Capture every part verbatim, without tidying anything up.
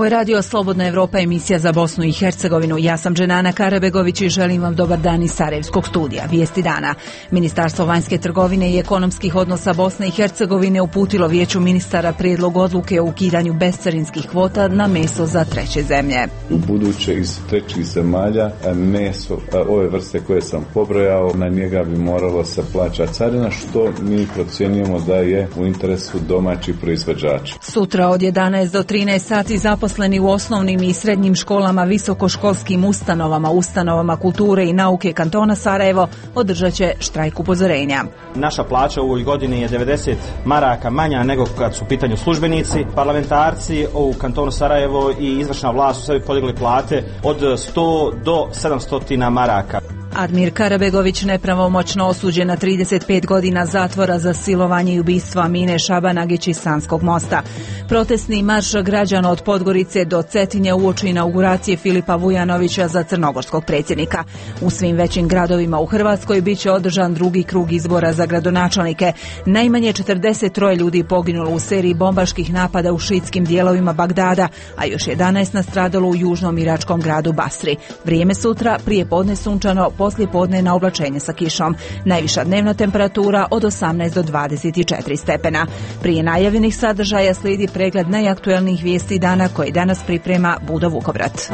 Ovo je radio Slobodna Evropa, emisija za Bosnu i Hercegovinu. Ja sam Dženana Karabegović i želim vam dobar dan iz Sarajevskog studija. Vijesti dana. Ministarstvo vanjske trgovine i ekonomskih odnosa Bosne i Hercegovine uputilo Vijeću ministara prijedlog odluke o ukidanju bescarinskih kvota na meso za treće zemlje. U buduće iz trećih zemalja meso ove vrste koje sam pobrojao, na njega bi moralo se plaća carina, što mi procjenjujemo da je u interesu domaćih proizvođača. Sutra od jedanaest do trinaest sati zaposleni u osnovnim i srednjim školama, visokoškolskim ustanovama, ustanovama kulture i nauke kantona Sarajevo održat će štrajk upozorenja. Naša plaća u ovoj godini je devedeset maraka manja nego kad su u pitanju službenici. Parlamentarci u kantonu Sarajevo i izvršna vlast su sebi podigli plate od sto do sedamsto maraka. Admir Karabegović nepravomoćno osuđen na trideset pet godina zatvora za silovanje i ubistvo Amine Šabanagić iz Sanskog mosta. Protestni marš građana od Podgorice do Cetinja uoči inauguracije Filipa Vujanovića za crnogorskog predsjednika. U svim većim gradovima u Hrvatskoj bit će održan drugi krug izbora za gradonačelnike. Najmanje četrdeset tri ljudi poginulo u seriji bombaških napada u šiitskim dijelovima Bagdada, a još jedanaest nastradalo u južnom iračkom gradu Basri. Vrijeme sutra, prije podne sunčano, poslije podne na oblačenje sa kišom. Najviša dnevna temperatura od osamnaest do dvadeset četiri stepena. Prije najavljenih sadržaja slijedi pregled najaktuelnijih vijesti dana koji danas priprema Budo Vukovrat.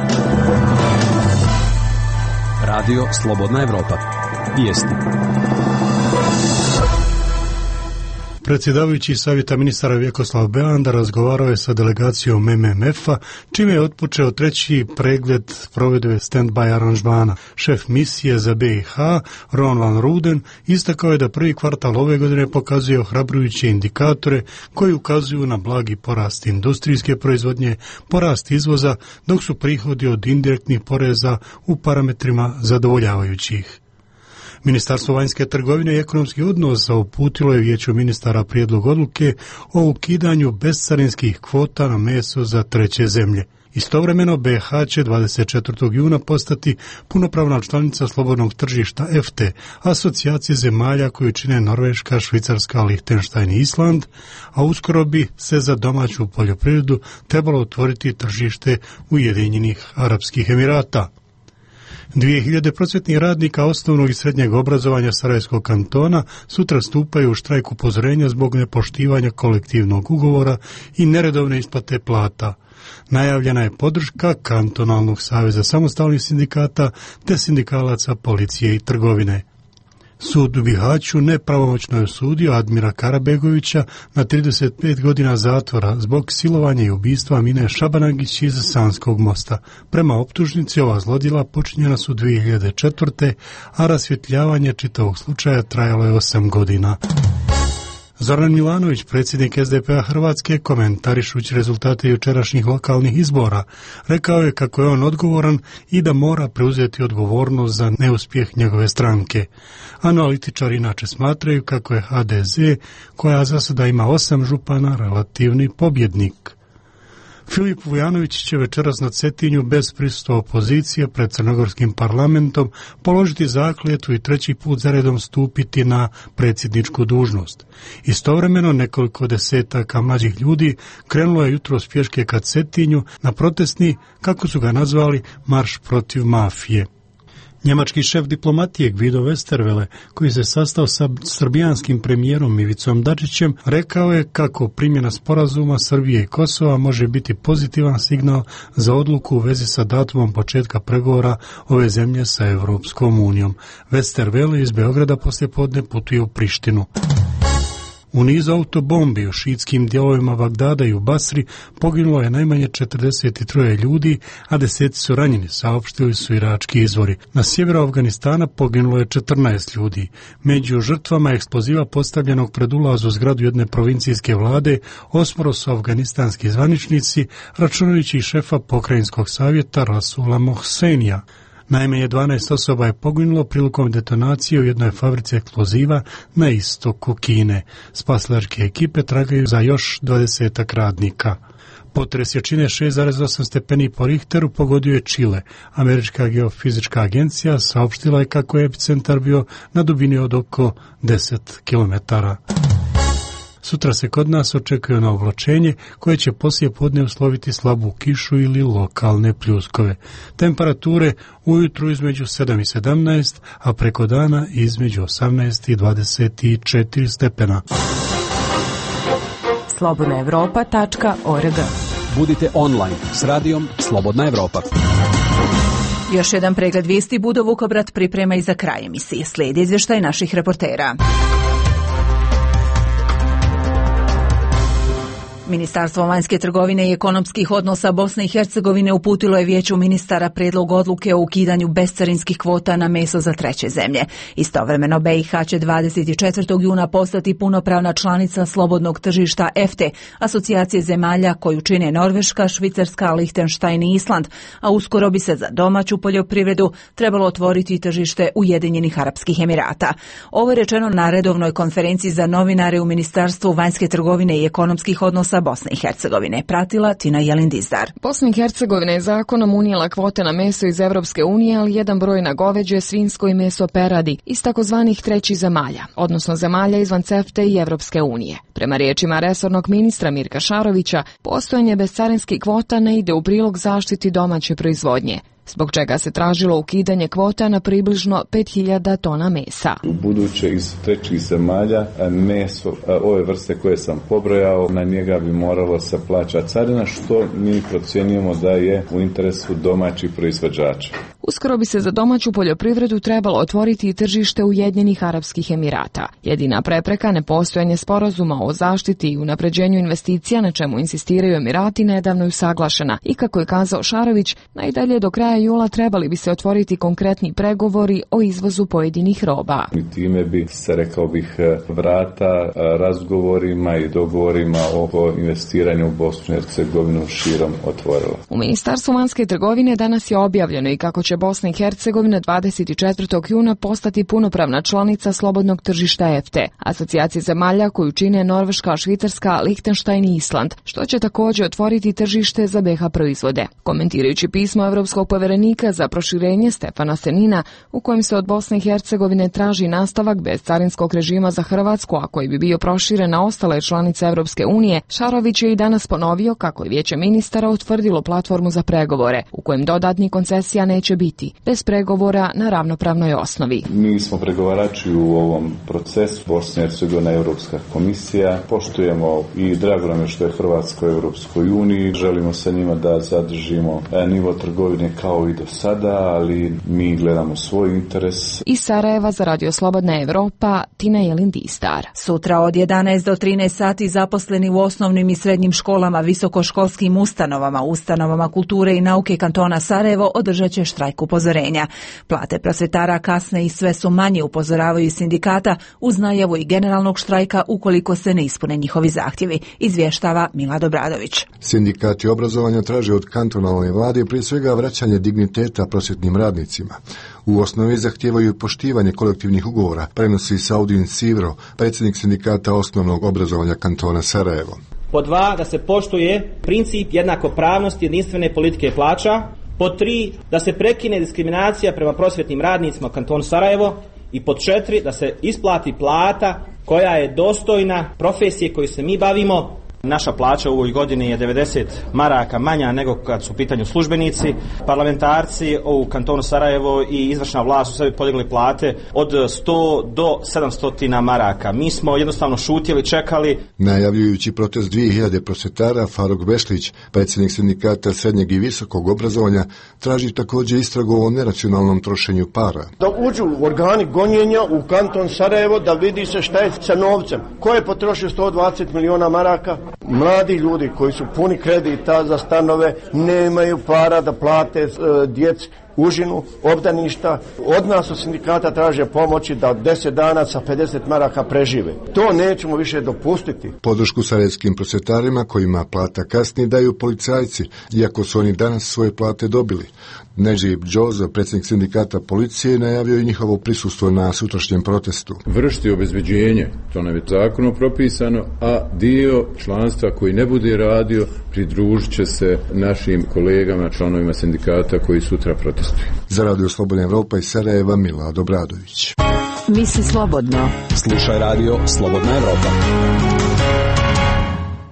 Radio Slobodna Evropa. Vijesti. Predsjedavajući Savjeta ministara Vjekoslav Belanda razgovarao je sa delegacijom M M F-a, čime je otpočeo treći pregled provedbe stand-by aranžmana. Šef misije za B i H, Ron van Ruden, istakao je da prvi kvartal ove godine pokazuje ohrabrujuće indikatore koji ukazuju na blagi porast industrijske proizvodnje, porast izvoza, dok su prihodi od indirektnih poreza u parametrima zadovoljavajućih. Ministarstvo vanjske trgovine i ekonomskih odnosa uputilo je Vijeću ministara prijedlog odluke o ukidanju bescarinskih kvota na meso za treće zemlje. Istovremeno B H će dvadeset četvrtog juna postati punopravna članica slobodnog tržišta E F T E, asocijacije zemalja koju čine Norveška, Švicarska, Lihtenštajn i Island, a uskoro bi se za domaću poljoprivredu trebalo otvoriti tržište Ujedinjenih Arapskih Emirata. Dvije hiljade prosvjetnih radnika osnovnog i srednjeg obrazovanja Sarajevskog kantona sutra stupaju u štrajk upozorenja zbog nepoštivanja kolektivnog ugovora i neredovne isplate plata. Najavljena je podrška Kantonalnog saveza samostalnih sindikata te sindikalaca policije i trgovine. Sud u Bihaću nepravomoćno je osudio Admira Karabegovića na trideset pet godina zatvora zbog silovanja i ubistva Amine Šabanagić iz Sanskog mosta. Prema optužnici ova zlodjela počinjena su dvije hiljade četvrte. a rasvjetljavanje čitavog slučaja trajalo je osam godina. Zoran Milanović, predsjednik S D P a Hrvatske, komentarišući rezultate jučerašnjih lokalnih izbora, rekao je kako je on odgovoran i da mora preuzeti odgovornost za neuspjeh njegove stranke. Analitičari inače smatraju kako je H D Z, koja za sada ima osam župana, relativni pobjednik. Filip Vujanović će večeras na Cetinju bez prisustva opozicije pred crnogorskim parlamentom položiti zakletvu i treći put zaredom stupiti na predsjedničku dužnost. Istovremeno nekoliko desetaka mlađih ljudi krenulo je jutros pješke ka Cetinju na protestni, kako su ga nazvali, marš protiv mafije. Njemački šef diplomatije Guido Westerwelle, koji se sastao sa srbijanskim premijerom Ivicom Dačićem, rekao je kako primjena sporazuma Srbije i Kosova može biti pozitivan signal za odluku u vezi sa datumom početka pregovora ove zemlje sa Europskom unijom. Westerwelle iz Beograda poslijepodne putuje u Prištinu. U nizu autobombi u šiitskim dijelovima Bagdada i u Basri poginulo je najmanje četrdeset tri ljudi, a deseci su ranjeni, saopštili su irački izvori. Na sjeveru Afganistana poginulo je četrnaest ljudi. Među žrtvama eksploziva postavljenog pred ulaz u zgradu jedne provincijske vlade osmoro su afganistanski zvaničnici, računajući i šefa pokrajinskog savjeta Rasula Mohsenija. Najmanje dvanaest osoba je poginulo prilikom detonacije u jednoj fabrici eksploziva na istoku Kine. Spasilačke ekipe tragaju za još dvadesetak radnika. Potres jačine šest zarez osam stepeni po Richteru pogodio je Čile. Američka geofizička agencija saopštila je kako je epicentar bio na dubini od oko deset kilometara. Sutra se kod nas očekuje na oblačenje koje će poslije podne usloviti slabu kišu ili lokalne pljuskove. Temperature ujutru između sedam i sedamnaest, a preko dana između osamnaest i dvadeset četiri stepena. slobodna evropa tačka org. Budite online s radijom Slobodna Evropa. Još jedan pregled vijesti Budo Vukobrat priprema i za kraj emisije. Slijedi izvještaj naših reportera. Ministarstvo vanjske trgovine i ekonomskih odnosa Bosne i Hercegovine uputilo je Vijeću ministara prijedlog odluke o ukidanju bescarinskih kvota na meso za treće zemlje. Istovremeno B i H će dvadeset četvrtog juna postati punopravna članica slobodnog tržišta E F T E, asocijacije zemalja koju čine Norveška, Švicarska, Lihtenštajn i Island, a uskoro bi se za domaću poljoprivredu trebalo otvoriti tržište Ujedinjenih Arapskih Emirata. Ovo je rečeno na redovnoj konferenciji za novinare u Ministarstvu vanjske trgovine i ekonomskih odnosa Bosne i Hercegovine. Pratila Tina Jelindizdar. Bosna i Hercegovina je zakonom unijela kvote na meso iz Evropske unije, ali jedan broj na goveđe, svinjsko i meso peradi iz takozvanih trećih zemalja, odnosno zemalja izvan C E F T E i Evropske unije. Prema riječima resornog ministra Mirka Šarovića, postojanje bescarinskih kvota ne ide u prilog zaštiti domaće proizvodnje, zbog čega se tražilo ukidanje kvota na približno pet hiljada tona mesa. U buduće iz trećih zemalja meso, ove vrste koje sam pobrojao, na njega bi moralo se plaća carina, što mi procjenjujemo da je u interesu domaćih proizvođača. Uskoro bi se za domaću poljoprivredu trebalo otvoriti i tržište Ujedinjenih Arapskih Emirata. Jedina prepreka, nepostojanje sporazuma o zaštiti i unapređenju investicija, na čemu insistiraju Emirati, nedavno je usaglašena i, kako je kazao Šarović, najdalje do kraja jula trebali bi se otvoriti konkretni pregovori o izvozu pojedinih roba. I time bi se, rekao bih, vrata razgovorima i dogovorima oko investiranja u Bosnu i Hercegovinu širom otvorila. U Ministarstvu vanjske trgovine danas je objavljeno i kako će Bosna i Hercegovina dvadeset četvrtog juna postati punopravna članica slobodnog tržišta E F T E, asocijacije zemalja koju čine Norveška, Švicarska, Lihtenštajn i Island, što će također otvoriti tržište za B i H proizvode. Komentirajući pismo Evropskog povjerenika za proširenje Stefana Senina, u kojem se od Bosne i Hercegovine traži nastavak bezcarinskog režima za Hrvatsku, a koji bi bio proširen na ostale članice Evropske unije, Šarović je i danas ponovio kako je Vijeće ministara utvrdilo platformu za pregovore, u kojem dodatnih koncesija neće biti, bez pregovora na ravnopravnoj osnovi. Mi smo pregovarači u ovom procesu, Bosna i Hercegovina, Europska komisija, poštujemo i drago nam je što je Hrvatska u Europskoj uniji, želimo sa njima da zadržimo nivo trgovine kao i do sada, ali mi gledamo svoj interes. Iz Sarajeva za Radio Slobodna Evropa, Tina Jelindistar. Sutra od jedanaest do trinaest sati zaposleni u osnovnim i srednjim školama, visokoškolskim ustanovama, ustanovama kulture i nauke kantona Sarajevo održat će štrajk upozorenja. Plate prosvjetara kasne i sve su manje, upozoravaju iz sindikata, uz najavu i generalnog štrajka ukoliko se ne ispune njihovi zahtjevi, izvještava Milad Obradović. Sindikati obrazovanja traže od kantonalne vlade prije svega vraćanje digniteta prosvjetnim radnicima. U osnovi zahtijevaju poštivanje kolektivnih ugovora, prenosi Saudin Sivro, predsjednik sindikata osnovnog obrazovanja kantona Sarajevo. Pod dva, da se poštuje princip jednakopravnosti jedinstvene politike plaća. Pod tri, da se prekine diskriminacija prema prosvjetnim radnicima u kantonu Sarajevo. I pod četiri, da se isplati plata koja je dostojna profesije koju se mi bavimo. Naša plaća u ovoj godini je devedeset maraka manja nego kad su u pitanju službenici. Parlamentarci u kantonu Sarajevo i izvršna vlast su sebi podigli plate od sto do sedamsto maraka. Mi smo jednostavno šutjeli, čekali. Najavljujući protest dvije hiljade prosvjetara, Faruk Bešlić, predsjednik sindikata srednjeg i visokog obrazovanja, traži također istragu o neracionalnom trošenju para. Da uđu organi gonjenja u kanton Sarajevo, da vidi se šta je sa novcem. Ko je potrošio sto dvadeset miliona maraka? Mladi ljudi koji su puni kredita za stanove nemaju para da plate e, djeci užinu, obdaništa. Od nas od sindikata traže pomoći da deset dana sa pedeset maraka prežive. To nećemo više dopustiti. Podršku sarajevskim prosvjetarima kojima plata kasni daju policajci, iako su oni danas svoje plate dobili. Neđib Džoza, predsjednik sindikata policije, najavio i njihovo prisustvo na sutrašnjem protestu. Vršiti obezbeđenje, to nam je zakonom propisano, a dio članstva koji ne bude radio pridružit će se našim kolegama, članovima sindikata koji sutra protestuju. Za Radio Slobodna Evropa iz Sarajeva, Milad Obradović. Misli slobodno. Slušaj Radio Slobodna Evropa.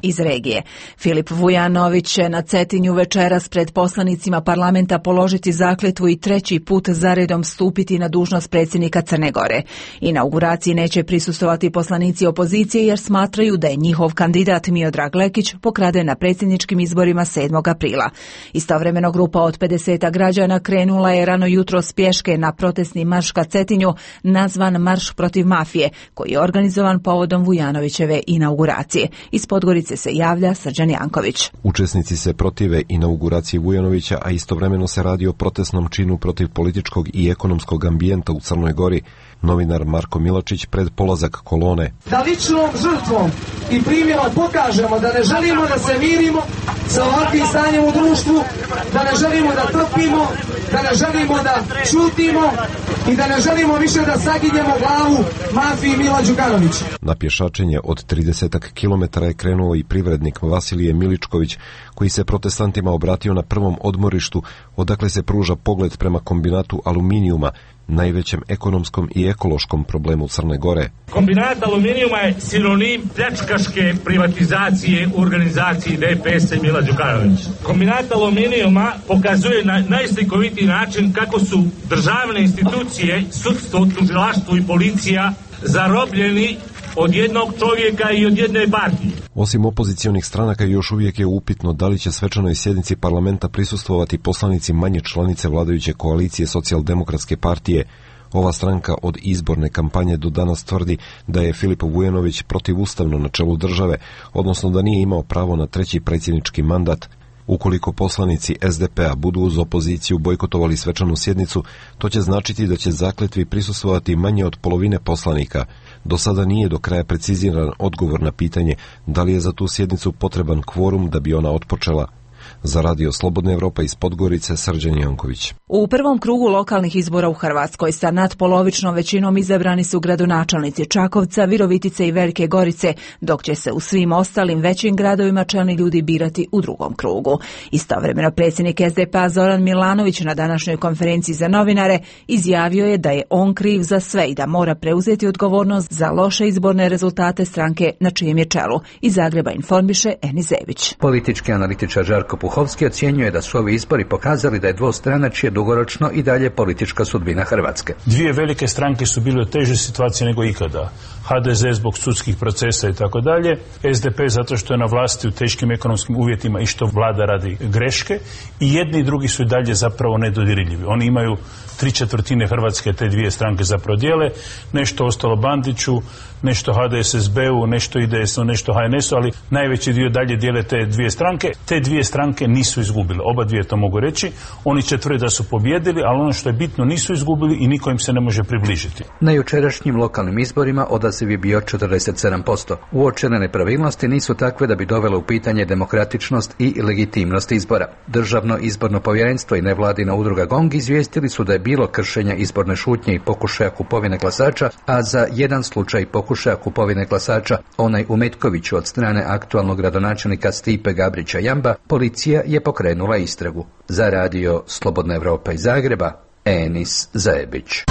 iz regije. Filip Vujanović će na Cetinju večeras pred poslanicima parlamenta položiti zakletvu i treći put zaredom stupiti na dužnost predsjednika Crne Gore. Inauguraciji neće prisustovati poslanici opozicije jer smatraju da je njihov kandidat Miodrag Lekić pokraden na predsjedničkim izborima sedmog aprila. Istovremeno grupa od pedeset građana krenula je rano jutro s pješke na protestni marš ka Cetinju nazvan Marš protiv mafije, koji je organizovan povodom Vujanovićeve inauguracije. Iz Podgorice se javlja Srđan Janković. Učesnici se protive inauguraciji Vujanovića, a istovremeno se radi o protestnom činu protiv političkog i ekonomskog ambijenta u Crnoj Gori. Novinar Marko Milačić pred polazak kolone. Da ličnom žrtvom i primjerom pokažemo da ne želimo da se mirimo sa ovakvim stanjem u društvu, da ne želimo da trpimo, da ne želimo da čutimo i da ne želimo više da saginjemo glavu mafiji Mila Đukanovića. Na pješačenje od trideset kilometara je krenuo i privrednik Vasilije Miličković, koji se protestantima obratio na prvom odmorištu, odakle se pruža pogled prema kombinatu aluminijuma, najvećem ekonomskom i ekološkom problemu Crne Gore. Kombinat aluminijuma je sinonim pljačkaške privatizacije u organizaciji D P S Mila Đukanovića. Kombinat aluminijuma pokazuje na najslikovitiji način kako su državne institucije, sudstvo, tužilaštvo i policija zarobljeni od jednog čovjeka i od jedne partije. Osim opozicionih stranaka još uvijek je upitno da li će svečanoj sjednici parlamenta prisustvovati poslanici manje članice vladajuće koalicije Socijaldemokratske partije. Ova stranka od izborne kampanje do danas tvrdi da je Filip Vujanović protivustavno na čelu države, odnosno da nije imao pravo na treći predsjednički mandat. Ukoliko poslanici S D P-a budu uz opoziciju bojkotovali svečanu sjednicu, to će značiti da će zakletvi prisustvovati manje od polovine poslanika. Do sada nije do kraja preciziran odgovor na pitanje da li je za tu sjednicu potreban kvorum da bi ona otpočela. Za Radio Slobodna Evropa iz Podgorice, Srđan Janković. U prvom krugu lokalnih izbora u Hrvatskoj sa nadpolovičnom većinom izabrani su gradonačelnici Čakovca, Virovitice i Velike Gorice, dok će se u svim ostalim većim gradovima čelni ljudi birati u drugom krugu. Istovremeno predsjednik S D P-a Zoran Milanović na današnjoj konferenciji za novinare izjavio je da je on kriv za sve i da mora preuzeti odgovornost za loše izborne rezultate stranke na čijem je čelu. Iz Zagreba informiše Enis Zević. Politički analitičar Žarko Puhovski ocjenjuje da su ovi izbori pokazali da je dvostranačje dugoročno i dalje politička sudbina Hrvatske. Dvije velike stranke su bile u težoj situaciji nego ikada. H D Z zbog sudskih procesa i tako dalje, S D P zato što je na vlasti u teškim ekonomskim uvjetima i što vlada radi greške, i jedni i drugi su i dalje zapravo nedodirljivi. Oni imaju tri četvrtine Hrvatske, te dvije stranke zapravo dijele, nešto ostalo Bandiću, nešto H D S S B-u, nešto I D S-u, nešto H N S-u, ali najveći dio dalje dijele te dvije stranke. Te dvije stranke nisu izgubile, oba dvije to mogu reći. Oni će tvrde da su pobjedili, ali ono što je bitno, nisu izgubili i niko im se ne može približiti. Na jučerašnjim lokalnim izborima odaziv je bio četrdeset sedam posto. Uočene nepravilnosti nisu takve da bi dovele u pitanje demokratičnost i legitimnost izbora. Državno izborno povjerenstvo i nevladina udruga GONG izvijestili su da je bilo kršenja izborne šutnje i pokušaja kupovine glasača, a za jedan slučaj pokušaja kupovine glasača, onaj u Metkoviću od strane aktualnog gradonačelnika Stipe Gabrića Jamba, policija je pokrenula istragu. Za Radio Slobodna Evropa iz Zagreba, Enis Zajebić.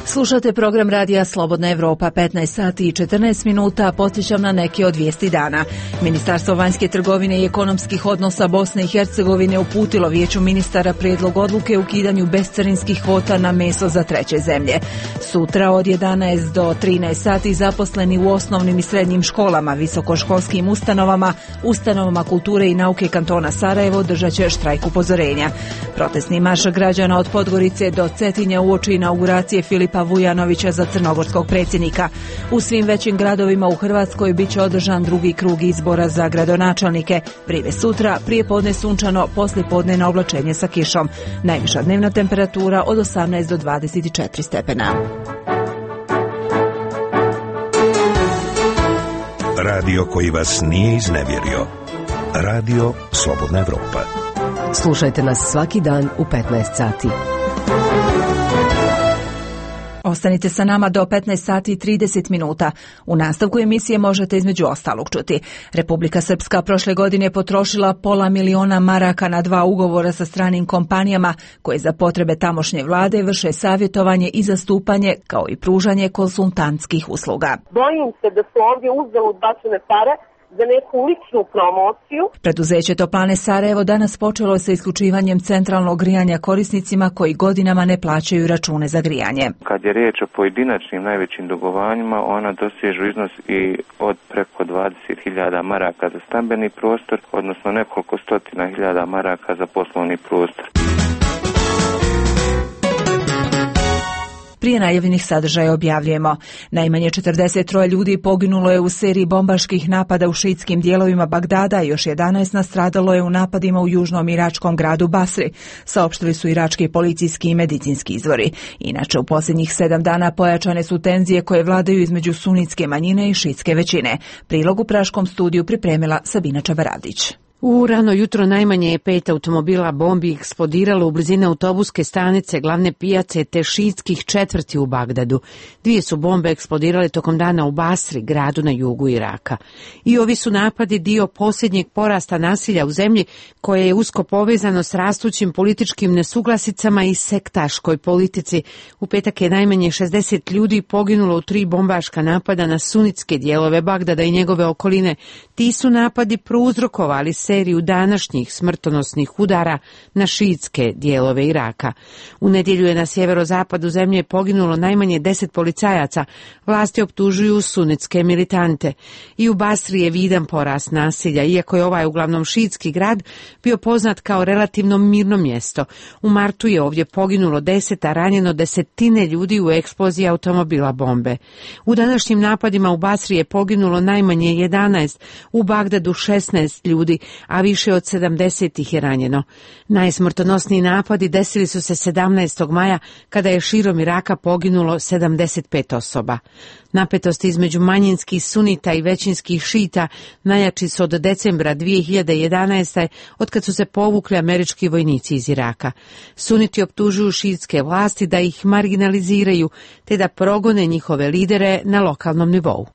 Slušate program Radija Slobodna Evropa, petnaest sati i četrnaest minuta, podsjećam na neke od vijesti dana. Ministarstvo vanjske trgovine i ekonomskih odnosa Bosne i Hercegovine uputilo Vijeću ministara prijedlog odluke o ukidanju bescarinskih kvota na meso za treće zemlje. Sutra od jedanaest do trinaest sati zaposleni u osnovnim i srednjim školama, visokoškolskim ustanovama, ustanovama kulture i nauke kantona Sarajevo držat će štrajk upozorenja. Protestni marš građana od Podgorice do Cetinja uoči inauguracije Filipa Vujanovića za crnogorskog predsjednika. U svim većim gradovima u Hrvatskoj bit će održan drugi krug izbora za gradonačelnike. Prije sutra, prije podne sunčano, poslije podne na oblačenje sa kišom. Najviša dnevna temperatura od osamnaest do dvadeset četiri stepena. Radio koji vas nije iznevjerio. Radio Slobodna Evropa. Slušajte nas svaki dan u petnaest sati. Ostanite sa nama do petnaest sati i trideset minuta. U nastavku emisije možete između ostalog čuti. Republika Srpska prošle godine potrošila pola miliona maraka na dva ugovora sa stranim kompanijama koje za potrebe tamošnje vlade vrše savjetovanje i zastupanje kao i pružanje konsultantskih usluga. Bojim se da su ovdje uzalud bačene pare za neku ličnu promociju. Preduzeće Toplane Sarajevo danas počelo sa isključivanjem centralnog grijanja korisnicima koji godinama ne plaćaju račune za grijanje. Kad je riječ o pojedinačnim najvećim dugovanjima, ona dosežu iznos i od preko dvadeset hiljada maraka za stambeni prostor, odnosno nekoliko stotina hiljada maraka za poslovni prostor. Prije najavljenih sadržaja objavljujemo. Najmanje četrdeset tri ljudi poginulo je u seriji bombaških napada u šiitskim dijelovima Bagdada, još jedanaest nastradalo je u napadima u južnom iračkom gradu Basri, saopštili su irački policijski i medicinski izvori. Inače, u posljednjih sedam dana pojačane su tenzije koje vladaju između sunitske manjine i šiitske većine. Prilog u praškom studiju pripremila Sabina Čavaradić. U rano jutro najmanje je pet automobila bombi eksplodiralo u blizini autobuske stanice, glavne pijace te šiitskih četvrti u Bagdadu. Dvije su bombe eksplodirale tokom dana u Basri, gradu na jugu Iraka. I ovi su napadi dio posljednjeg porasta nasilja u zemlji koje je usko povezano s rastućim političkim nesuglasicama i sektaškoj politici. U petak je najmanje šezdeset ljudi poginulo u tri bombaška napada na sunitske dijelove Bagdada i njegove okoline. Ti su napadi prouzrokovali seriju današnjih smrtonosnih udara na šiitske dijelove Iraka. U nedjelju je na sjeverozapadu zemlje poginulo najmanje deset policajaca. Vlasti optužuju sunitske militante. I u Basri je vidan porast nasilja, iako je ovaj uglavnom šiitski grad bio poznat kao relativno mirno mjesto. U martu je ovdje poginulo deset, a ranjeno desetine ljudi u eksploziji automobila bombe. U današnjim napadima u Basri je poginulo najmanje jedanaest, u Bagdadu šesnaest ljudi, a više od sedamdeset ih je ranjeno. Najsmrtonosniji napadi desili su se sedamnaestog maja kada je širom Iraka poginulo sedamdeset pet osoba. Napetosti između manjinskih sunita i većinskih šita najjači su od decembra dvije hiljade jedanaeste. otkad su se povukli američki vojnici iz Iraka. Suniti optužuju šiitske vlasti da ih marginaliziraju te da progone njihove lidere na lokalnom nivou.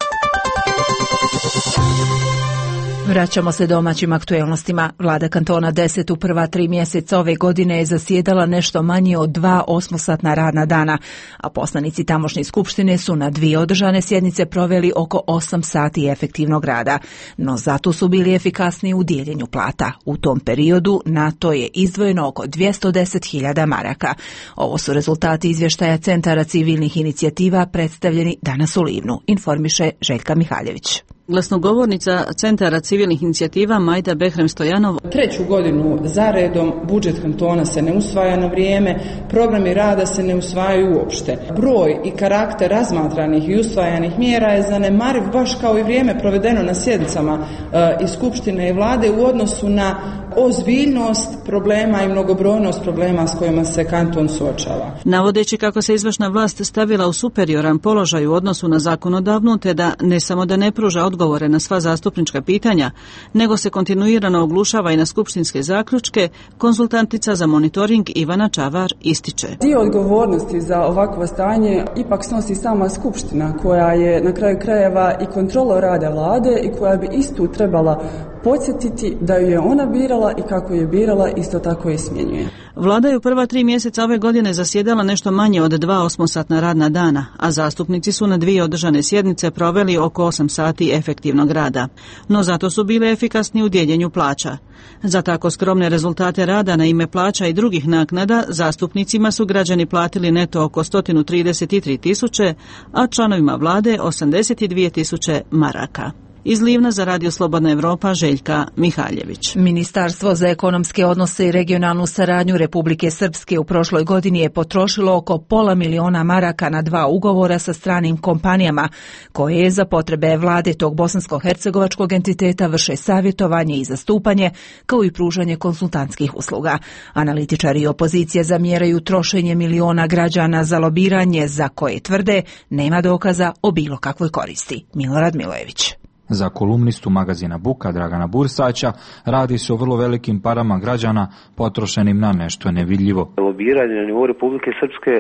Vraćamo se domaćim aktuelnostima. Vlada kantona deset u prva tri mjeseca ove godine je zasjedala nešto manje od dva osmosatna radna dana, a poslanici tamošnje skupštine su na dvije održane sjednice proveli oko osam sati efektivnog rada, no zato su bili efikasniji u dijeljenju plata. U tom periodu na to je izdvojeno oko dvjesto deset hiljada maraka. Ovo su rezultati izvještaja Centara civilnih inicijativa predstavljeni danas u Livnu, informiše Željka Mihaljević. Glasnogovornica Centara civilnih inicijativa Majda Behrem Stojanov. Treću godinu za redom budžet kantona se ne usvaja na vrijeme, programi rada se ne usvajaju uopšte. Broj i karakter razmatranih i usvajanih mjera je zanemariv, baš kao i vrijeme provedeno na sjednicama e, i Skupštine i Vlade u odnosu na ozbiljnost problema i mnogobrojnost problema s kojima se kanton suočava. Navodeći kako se izvršna vlast stavila u superioran položaj u odnosu na zakonodavnu, te da ne samo da ne pruža odgovore na sva zastupnička pitanja, nego se kontinuirano oglušava i na skupštinske zaključke, konzultantica za monitoring Ivana Čavar ističe. Dio odgovornosti za ovakvo stanje ipak snosi sama skupština, koja je na kraju krajeva i kontrola rada vlade i koja bi istu trebala podsjetiti da ju je ona birala i kako je birala, isto tako i smjenjuje. Vlada je u prva tri mjeseca ove godine zasjedala nešto manje od dva osmosatna radna dana, a zastupnici su na dvije održane sjednice proveli oko osam sati efektivnog rada. No zato su bile efikasni u dijeljenju plaća. Za tako skromne rezultate rada na ime plaća i drugih naknada zastupnicima su građani platili neto oko sto trideset tri tisuće, a članovima vlade osamdeset dvije tisuće maraka. Iz Livna za Radio Slobodna Evropa Željka Mihaljević. Ministarstvo za ekonomske odnose i regionalnu saradnju Republike Srpske u prošloj godini je potrošilo oko pola miliona maraka na dva ugovora sa stranim kompanijama, koje je za potrebe vlade tog bosansko-hercegovačkog entiteta vrše savjetovanje i zastupanje, kao i pružanje konsultantskih usluga. Analitičari i opozicije zamjeraju trošenje miliona građana za lobiranje za koje tvrde nema dokaza o bilo kakvoj koristi. Milorad Milojević. Za kolumnistu magazina Buka Dragana Bursaća radi se o vrlo velikim parama građana potrošenim na nešto nevidljivo. Lobiranje na nivou Republike Srpske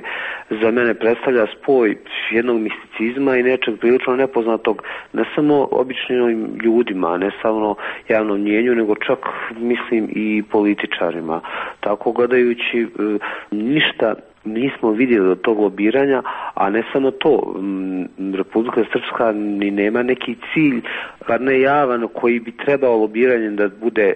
za mene predstavlja spoj jednog misticizma i nečeg prilično nepoznatog ne samo običnim ljudima, ne samo javnom mnjenju, nego čak mislim i političarima. Tako gledajući ništa nismo vidjeli od tog lobiranja, a ne samo to, Republika Srpska ni nema neki cilj, bar ne javan, koji bi trebao lobiranjem da bude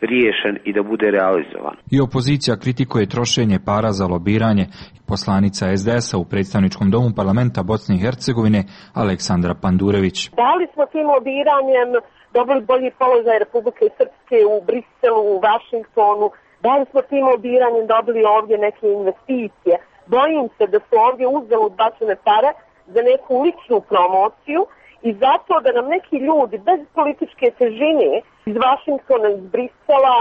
riješen i da bude realizovan. I opozicija kritikuje trošenje para za lobiranje. Poslanica es de es a u predstavničkom domu parlamenta Bosne i Hercegovine Aleksandra Pandurević. Da li smo tim lobiranjem dobili bolji položaj Republike Srpske u Briselu, u Vašingtonu? Da li smo tim lobiranjem dobili ovdje neke investicije? Bojim se da su ovdje uzalud bačene pare za neku ličnu promociju i zato da nam neki ljudi bez političke težine iz Vašingtona, iz Brisela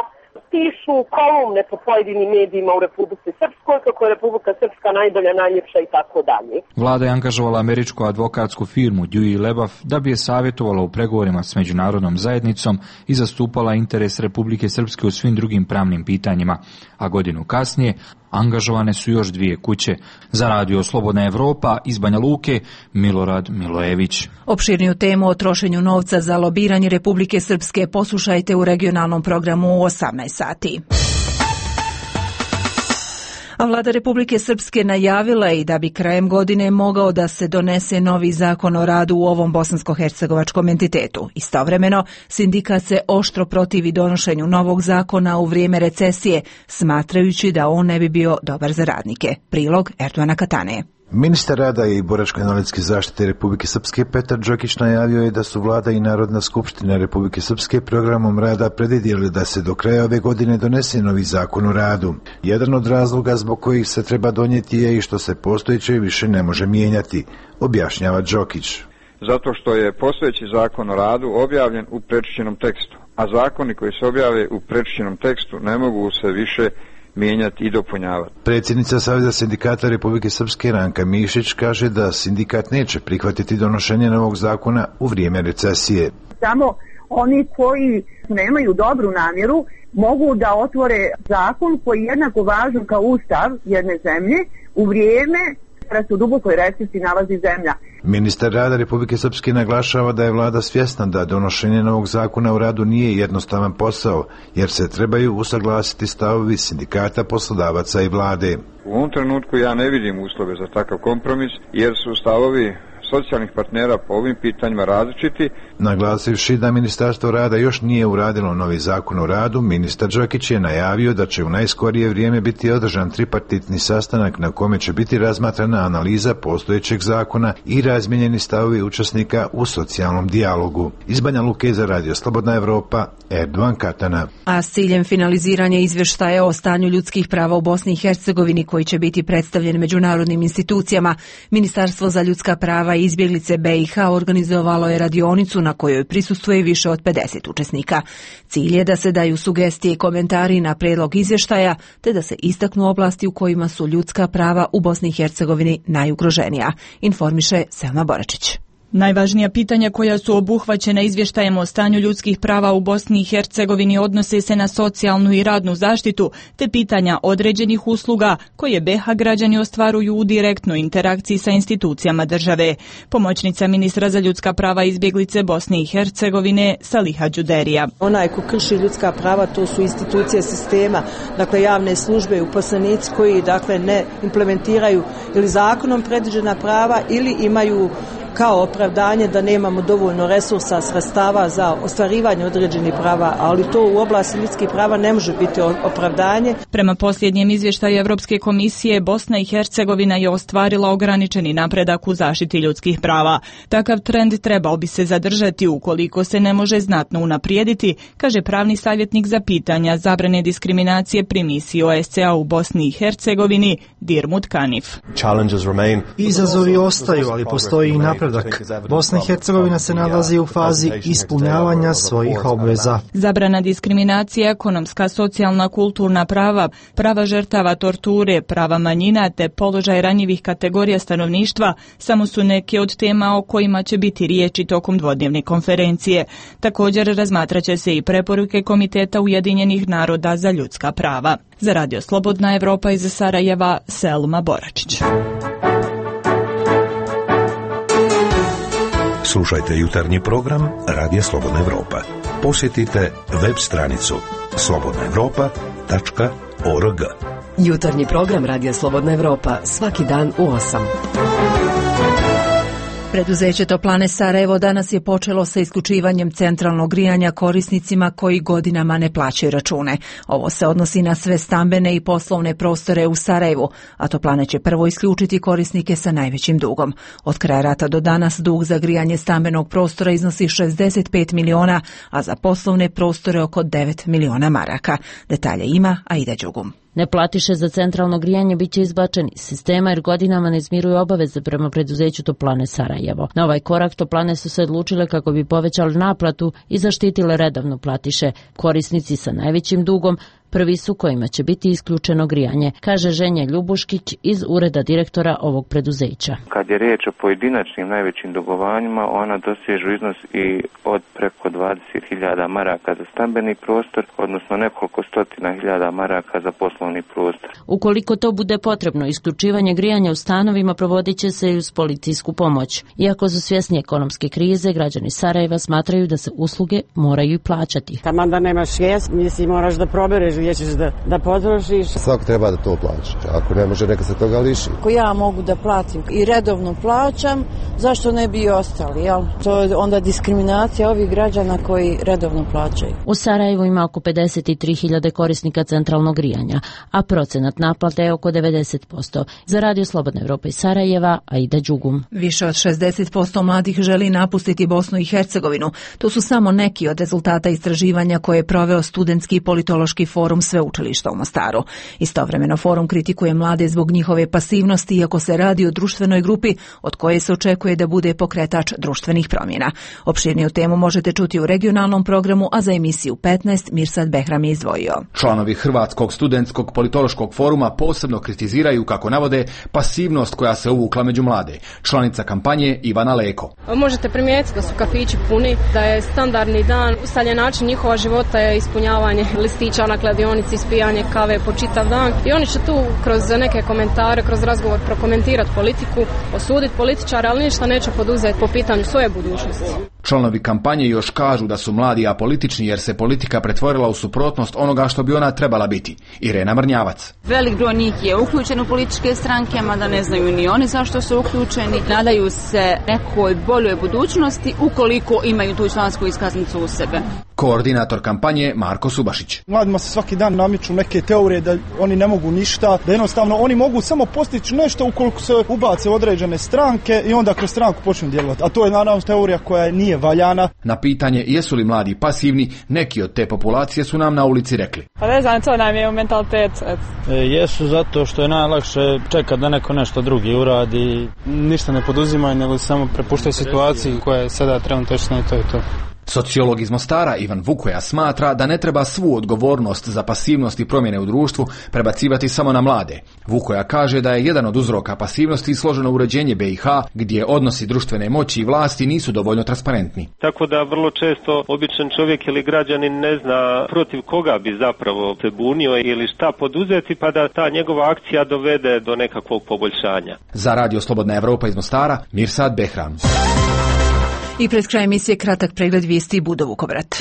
pišu kolumne po pojedinim medijima u Republici Srpskoj, kako je Republika Srpska najbolja, najljepša i tako dalje. Vlada je angažovala američku advokatsku firmu Dewey Lebaf da bi je savjetovala u pregovorima s međunarodnom zajednicom i zastupala interes Republike Srpske u svim drugim pravnim pitanjima, a godinu kasnije angažovane su još dvije kuće. Za radio Slobodna Evropa iz Banja Luke, Milorad Milojević. Opširniju temu o trošenju novca za lobiranje Republike Srpske poslušajte u regionalnom programu u osamnaest sati. A vlada Republike Srpske najavila je i da bi krajem godine mogao da se donese novi zakon o radu u ovom bosansko-hercegovačkom entitetu. Istovremeno, sindikat se oštro protivi donošenju novog zakona u vrijeme recesije, smatrajući da on ne bi bio dobar za radnike. Prilog Erdoana Katane. Ministar rada i boračko-invalidske zaštite Republike Srpske Petar Đokić najavio je da su vlada i Narodna skupština Republike Srpske programom rada predvidjeli da se do kraja ove godine donese novi zakon o radu. Jedan od razloga zbog kojih se treba donijeti je i što se postojeće više ne može mijenjati, objašnjava Đokić. Zato što je postojeći zakon o radu objavljen u prečišćenom tekstu, a zakoni koji se objave u prečišćenom tekstu ne mogu se više mijenjati i dopunjavati. Predsjednica Saveza sindikata Republike Srpske Ranka Mišić kaže da sindikat neće prihvatiti donošenje novog zakona u vrijeme recesije. Samo oni koji nemaju dobru namjeru mogu da otvore zakon koji je jednako važan kao ustav jedne zemlje u vrijeme kada se u dubokoj recesiji nalazi zemlja. Ministar rada Republike Srpske naglašava da je vlada svjesna da donošenje novog zakona o radu nije jednostavan posao, jer se trebaju usaglasiti stavovi sindikata, poslodavaca i vlade. U ovom trenutku ja ne vidim uslove za takav kompromis, jer su stavovi socijalnih partnera po ovim pitanjima različiti. Naglasivši da Ministarstvo rada još nije uradilo novi zakon o radu, ministar Đokić je najavio da će u najskorije vrijeme biti održan tripartitni sastanak na kome će biti razmatrana analiza postojećeg zakona i razmijenjeni stavovi učesnika u socijalnom dijalogu. Iz Banja Luke za radio Slobodna Evropa, Erdoan Katana. A s ciljem finaliziranja izvještaja o stanju ljudskih prava u Bosni i Hercegovini koji će biti predstavljen međunarodnim institucijama, Ministarstvo za ljudska prava i izbjeglice be i ha organizovalo je radionicu na kojoj prisustvuje više od pedeset učesnika. Cilj je da se daju sugestije i komentari na prijedlog izvještaja, te da se istaknu oblasti u kojima su ljudska prava u Bosni i Hercegovini najugroženija, informiše Selma Boračić. Najvažnija pitanja koja su obuhvaćena izvještajem o stanju ljudskih prava u Bosni i Hercegovini odnose se na socijalnu i radnu zaštitu, te pitanja određenih usluga koje be ha građani ostvaruju u direktnoj interakciji sa institucijama države. Pomoćnica ministra za ljudska prava i izbjeglice Bosne i Hercegovine Saliha Đuderija. Onaj ko krši ljudska prava, to su institucije sistema, dakle javne službe i uposlenici koji dakle ne implementiraju ili zakonom predviđena prava ili imaju kao opravdanje da nemamo dovoljno resursa, sredstava za ostvarivanje određenih prava, ali to u oblasti ljudskih prava ne može biti opravdanje. Prema posljednjem izvještaju Europske komisije, Bosna i Hercegovina je ostvarila ograničeni napredak u zaštiti ljudskih prava. Takav trend trebao bi se zadržati ukoliko se ne može znatno unaprijediti, kaže pravni savjetnik za pitanja zabrane diskriminacije pri misiji o es ce a u Bosni i Hercegovini, Dirmut Kanif. Izazovi ostaju, ali postoji i napredak napredak. Bosna i Hercegovina se nalazi u fazi ispunjavanja svojih obveza. Zabrana diskriminacije, ekonomska, socijalna, kulturna prava, prava žrtava torture, prava manjina te položaj ranjivih kategorija stanovništva samo su neke od tema o kojima će biti riječi tokom dvodnevne konferencije. Također razmatraće se i preporuke Komiteta Ujedinjenih naroda za ljudska prava. Za Radio Slobodna Evropa iz Sarajeva, Selma Boračić. Slušajte jutarnji program Radija Slobodna Evropa. Posjetite web stranicu slobodna evropa tačka org. Jutarnji program Radija Slobodna Evropa svaki dan u osam. Preduzeće Toplane Sarajevo danas je počelo sa isključivanjem centralnog grijanja korisnicima koji godinama ne plaćaju račune. Ovo se odnosi na sve stambene i poslovne prostore u Sarajevu, a Toplane će prvo isključiti korisnike sa najvećim dugom. Od kraja rata do danas dug za grijanje stambenog prostora iznosi šezdeset pet miliona, a za poslovne prostore oko devet miliona maraka. Detalje ima Aida Đugum. Neplatiše za centralno grijanje bit će izbačeni iz sistema jer godinama ne izmiruju obaveze prema preduzeću Toplane Sarajevo. Na ovaj korak Toplane su se odlučile kako bi povećali naplatu i zaštitile redovno platiše. Korisnici sa najvećim dugom prvi su kojima će biti isključeno grijanje, kaže Ženja Ljubuškić iz ureda direktora ovog preduzeća. Kad je riječ o pojedinačnim najvećim dugovanjima, ona dosežu iznos i od preko dvadeset hiljada maraka za stambeni prostor, odnosno nekoliko stotina hiljada maraka za poslovni prostor. Ukoliko to bude potrebno, isključivanje grijanja u stanovima provodit će se i uz policijsku pomoć. Iako su svjesni ekonomske krize, građani Sarajeva smatraju da se usluge moraju i plaćati. Taman da nemaš svijest, misli moraš da probereš gdje ćeš da, da potrošiš. Svako treba da to plaća. Ako ne može, neka se toga liši. Ako ja mogu da platim i redovno plaćam, zašto ne bi i ostali, jel? To je onda diskriminacija ovih građana koji redovno plaćaju. U Sarajevu ima oko pedeset tri hiljade korisnika centralnog grijanja, a procenat naplate je oko devedeset posto. Za Radio Slobodna Evropa iz Sarajeva, Aida Đugum. Više od šezdeset posto mladih želi napustiti Bosnu i Hercegovinu. To su samo neki od rezultata istraživanja koje je proveo Studentski politološki forum Sveučilišta u Mostaru. Istovremeno forum kritikuje mlade zbog njihove pasivnosti, iako se radi o društvenoj grupi od koje se očekuje da bude pokretač društvenih promjena. Opširniju temu možete čuti u regionalnom programu, a za emisiju petnaest Mirsad Behram je izdvojio. Članovi Hrvatskog studentskog politološkog foruma posebno kritiziraju, kako navode, pasivnost koja se uvukla među mlade. Članica kampanje Ivana Leko. Možete primijetiti da su kafići puni, da je standardni dan, ustaljen način njihova života je ispunjavanje listića na kladionici, ispijanje kave po čitav dan i oni će tu kroz neke komentare, kroz razgovor prokomentirati politiku, osuditi političare, ali ništa neće poduzeti po pitanju svoje budućnosti. Članovi kampanje još kažu da su mladi apolitični jer se politika pretvorila u suprotnost onoga što bi ona trebala biti. Irena Mrnjavac. Velik broj njih je uključen u političke stranke, mada ne znaju ni oni zašto su uključeni. Nadaju se nekoj boljoj budućnosti ukoliko imaju tu člansku iskaznicu u sebe. Koordinator kampanje Marko Subašić. Mladima se svaki dan namiču neke teorije da oni ne mogu ništa, da jednostavno oni mogu samo postići nešto ukoliko se ubace određene stranke i onda kroz stranku počnu djelovati. A to je naravno teorija koja nije valjana. Na pitanje jesu li mladi pasivni, neki od te populacije su nam na ulici rekli. Pa ne znam, to nam je u mentalitet. E, jesu zato što je najlakše čekati da neko nešto drugi uradi. Ništa ne poduzimaju, nego samo prepuštaju situaciji koja je sada trenutno i to je to. Sociolog iz Mostara Ivan Vukoja smatra da ne treba svu odgovornost za pasivnost i promjene u društvu prebacivati samo na mlade. Vukoja kaže da je jedan od uzroka pasivnosti složeno uređenje B i H, gdje odnosi društvene moći i vlasti nisu dovoljno transparentni. Tako da vrlo često običan čovjek ili građanin ne zna protiv koga bi zapravo se bunio ili šta poduzeti, pa da ta njegova akcija dovede do nekakvog poboljšanja. Za Radio Slobodna Evropa iz Mostara, Mirsad Behram. I pred kraj emisije kratak pregled vijesti Budo Vukovrat.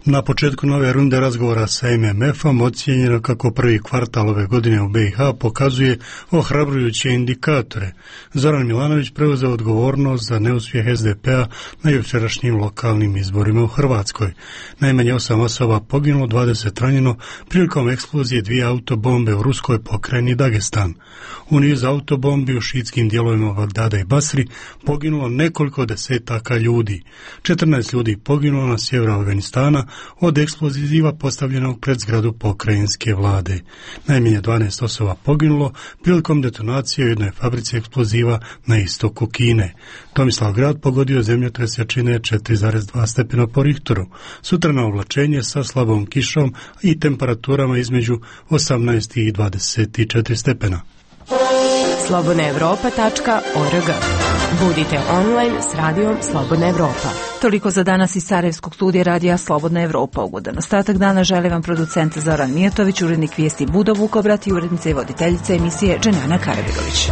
Na početku nove runde razgovora sa M M F-om ocijenjeno kako prvi kvartal ove godine u B i H pokazuje ohrabrujuće indikatore. Zoran Milanović preuzeo odgovornost za neuspjeh S D P-a na jučerašnjim lokalnim izborima u Hrvatskoj. Najmanje osam osoba poginulo, dvadeset ranjeno prilikom eksplozije dvije autobombe u ruskoj pokrajini Dagestan. U niz autobombi u šiitskim dijelovima Bagdada i Basri poginulo nekoliko desetaka ljudi. četrnaest ljudi poginulo na sjeveru Afganistana, od eksploziva postavljenog pred zgradu pokrajinske vlade. Najmanje dvanaest osoba poginulo prilikom detonacije u jednoj fabrici eksploziva na istoku Kine. Tomislavgrad pogodio zemljotres jačine četiri zarez dva stepena po Richteru. Sutrano oblačenje sa slabom kišom i temperaturama između osamnaest i dvadeset četiri stepena. slobodna evropa tačka org. Budite online s radijom Slobodna Evropa. Toliko za danas iz Sarajevskog studija radija Slobodna Evropa. Ugodan ostatak dana žele vam producent Zoran Mijatović, urednik vijesti Budo Vukobrat i urednica i voditeljica emisije Dženana Karabirović.